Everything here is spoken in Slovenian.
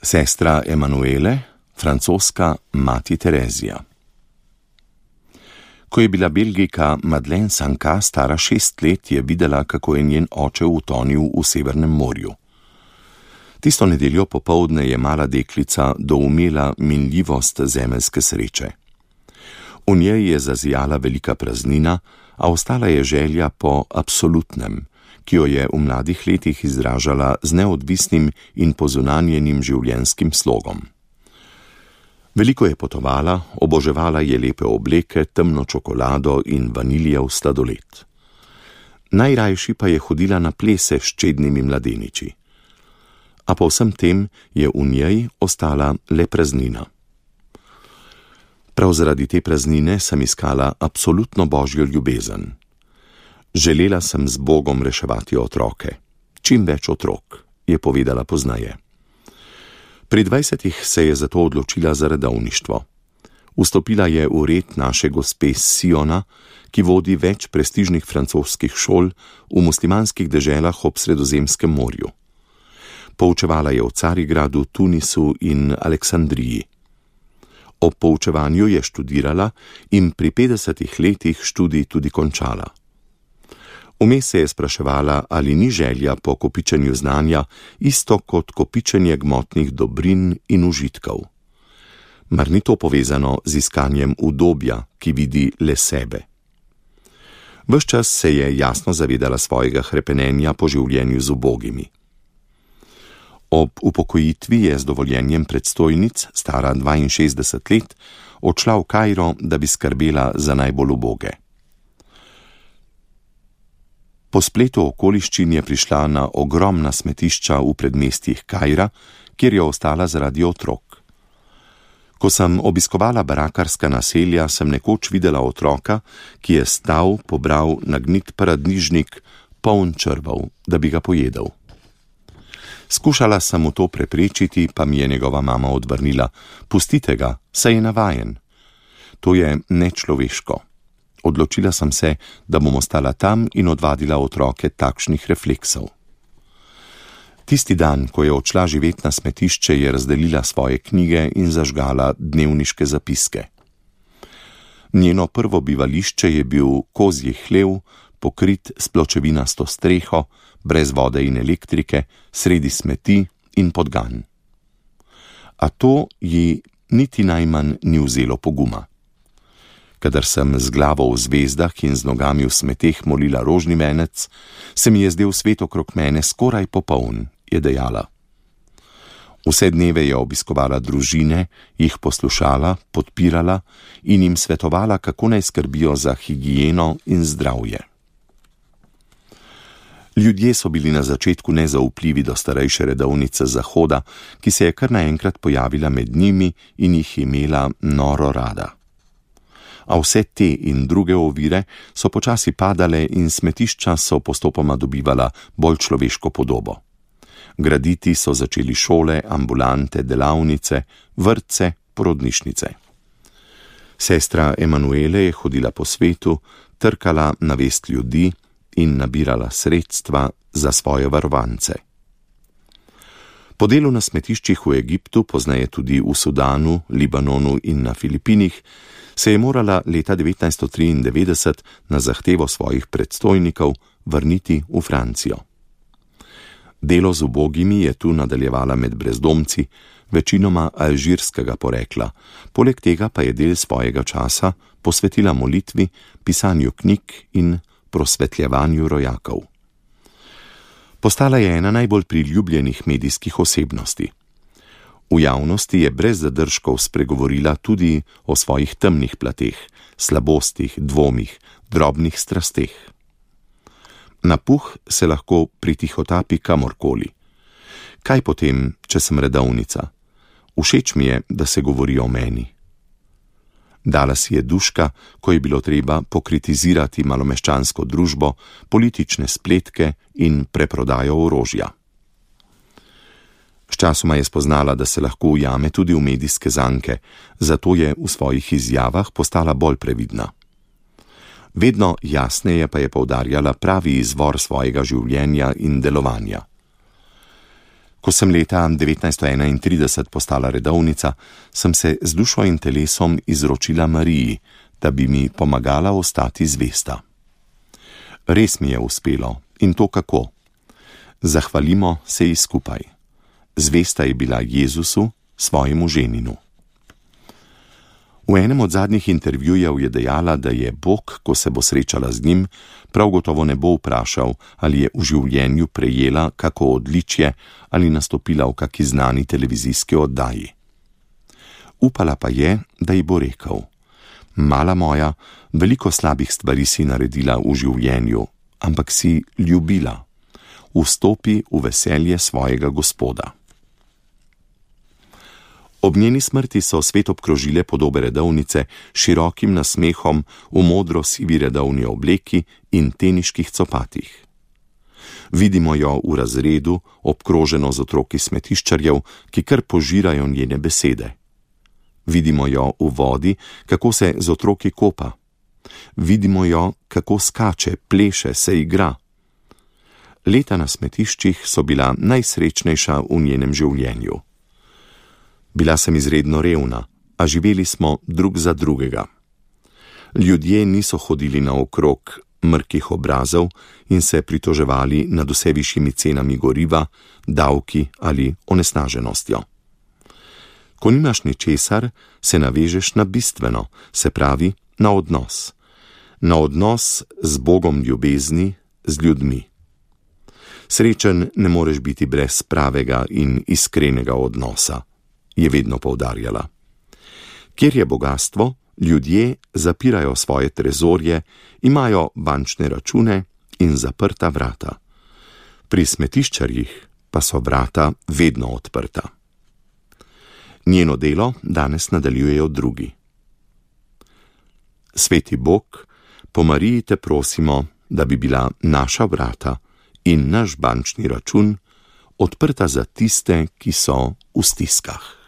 Sestra Emanuele, francoska mati Terezija. Ko je bila Belgijka Madeleine Sanka stara 6 let, je videla, kako je njen oče utonil v Severnem morju. Tisto nedeljo popoldne je mala deklica doumela minljivost zemeljske sreče. V njej je zazijala velika praznina, a ostala je želja po absolutnem, ki jo je v mladih letih izražala z neodvisnim in pozunanjenim življenjskim slogom. Veliko je potovala, oboževala je lepe obleke, temno čokolado in vaniljev sladoled. Najrajši pa je hodila na plese s čednimi mladeniči. A po vsem tem je v njej ostala le praznina. Prav zaradi te praznine sem iskala absolutno božjo ljubezen. Želela sem z Bogom reševati otroke. Čim več otrok, je povedala pozneje. Pri 20 se je zato odločila za redovništvo. Vstopila je v red naše gospe Siona, ki vodi več prestižnih francoskih šol v muslimanskih deželah ob Sredozemskem morju. Poučevala je v Carigradu, Tunisu in Aleksandriji. Ob poučevanju je študirala in pri 50 letih študij tudi končala. Vmes se je spraševala, ali ni želja po kopičenju znanja isto kot kopičenje gmotnih dobrin in užitkov. Mar ni to povezano z iskanjem udobja, ki vidi le sebe? Ves čas se je jasno zavedala svojega hrepenenja po življenju z ubogimi. Ob upokojitvi je z dovoljenjem predstojnic, stara 62 let, odšla v Kairo, da bi skrbela za najbolj uboge. Po spletu okoliščin je prišla na ogromna smetišča v predmestjih Kaira, kjer je ostala zaradi otrok. Ko sem obiskovala barakarska naselja, sem nekoč videla otroka, ki je stal, pobral nagnit paradižnik, poln črvov, da bi ga pojedel. Skušala sem mu to preprečiti, pa mi je njegova mama odvrnila: pustite ga, saj je navajen. To je nečloveško. Odločila sem se, da bom ostala tam in odvadila otroke takšnih refleksov. Tisti dan, ko je odšla živet na smetišče, je razdelila svoje knjige in zažgala dnevniške zapiske. Njeno prvo bivališče je bil kozji hlev, pokrit s pločevinasto streho, brez vode in elektrike, sredi smeti in podgan. A to ji niti najmanj ni vzelo poguma. Kadar sem z glavo v zvezdah in z nogami v smeteh molila rožni venec, se mi je zdel svet okrog mene skoraj popoln, je dejala. Vse dneve je obiskovala družine, jih poslušala, podpirala in jim svetovala, kako naj skrbijo za higieno in zdravje. Ljudje so bili na začetku nezaupljivi do starejše redovnice Zahoda, ki se je kar naenkrat pojavila med njimi in jih imela noro rada. A vse te in druge ovire so počasi padale in smetišča so postopoma dobivala bolj človeško podobo. Graditi so začeli šole, ambulante, delavnice, vrtce, porodnišnice. Sestra Emanuele je hodila po svetu, trkala na vest ljudi in nabirala sredstva za svoje varovance. Po delu na smetiščih v Egiptu, pozneje tudi v Sudanu, Libanonu in na Filipinih, se je morala leta 1993 na zahtevo svojih predstojnikov vrniti v Francijo. Delo z ubogimi je tu nadaljevala med brezdomci, večinoma alžirskega porekla, poleg tega pa je del svojega časa posvetila molitvi, pisanju knjig in prosvetljevanju rojakov. Postala je ena najbolj priljubljenih medijskih osebnosti. V javnosti je brez zadržkov spregovorila tudi o svojih temnih plateh, slabostih, dvomih, drobnih strasteh. Na puh se lahko pritihotapi kamorkoli. Kaj potem, če sem redovnica? Všeč mi je, da se govori o meni. Dala si je duška, ko je bilo treba pokritizirati malomeščansko družbo, politične spletke in preprodajo orožja. Sčasoma je spoznala, da se lahko ujame tudi v medijske zanke, zato je v svojih izjavah postala bolj previdna. Vedno jasneje pa je poudarjala pravi izvor svojega življenja in delovanja. Ko sem leta 1931 postala redovnica, sem se z dušo in telesom izročila Mariji, da bi mi pomagala ostati zvesta. Res mi je uspelo, in to kako. Zahvalimo se ji skupaj. Zvesta je bila Jezusu, svojemu ženinu. V enem od zadnjih intervjujev je dejala, da je Bog, ko se bo srečala z njim, prav gotovo ne bo vprašal, ali je v življenju prejela kako odličje ali nastopila v kaki znani televizijski oddaji. Upala pa je, da ji bo rekel: mala moja, veliko slabih stvari si naredila v življenju, ampak si ljubila. Vstopi v veselje svojega Gospoda. Ob njeni smrti so svet obkrožile podobe redovnice s širokim nasmehom v modro sivi redovni obleki in teniških copatih. Vidimo jo v razredu, obkroženo z otroki smetiščarjev, ki kar požirajo njene besede. Vidimo jo v vodi, kako se z otroki kopa. Vidimo jo, kako skače, pleše, se igra. Leta na smetiščih so bila najsrečnejša v njenem življenju. Bila sem izredno revna, a živeli smo drug za drugega. Ljudje niso hodili naokrog mrkih obrazov in se pritoževali nad vse višjimi cenami goriva, davki ali onesnaženostjo. Ko nimaš ničesar, se navežeš na bistveno, se pravi na odnos. Na odnos z Bogom ljubezni, z ljudmi. Srečen ne moreš biti brez pravega in iskrenega odnosa, je vedno poudarjala. Kjer je bogastvo, ljudje zapirajo svoje trezorje, imajo bančne račune in zaprta vrata. Pri smetiščarjih pa so vrata vedno odprta. Njeno delo danes nadaljujejo drugi. Sveti Bog, po Mariji te prosimo, da bi bila naša vrata in naš bančni račun odprta za tiste, ki so v stiskah.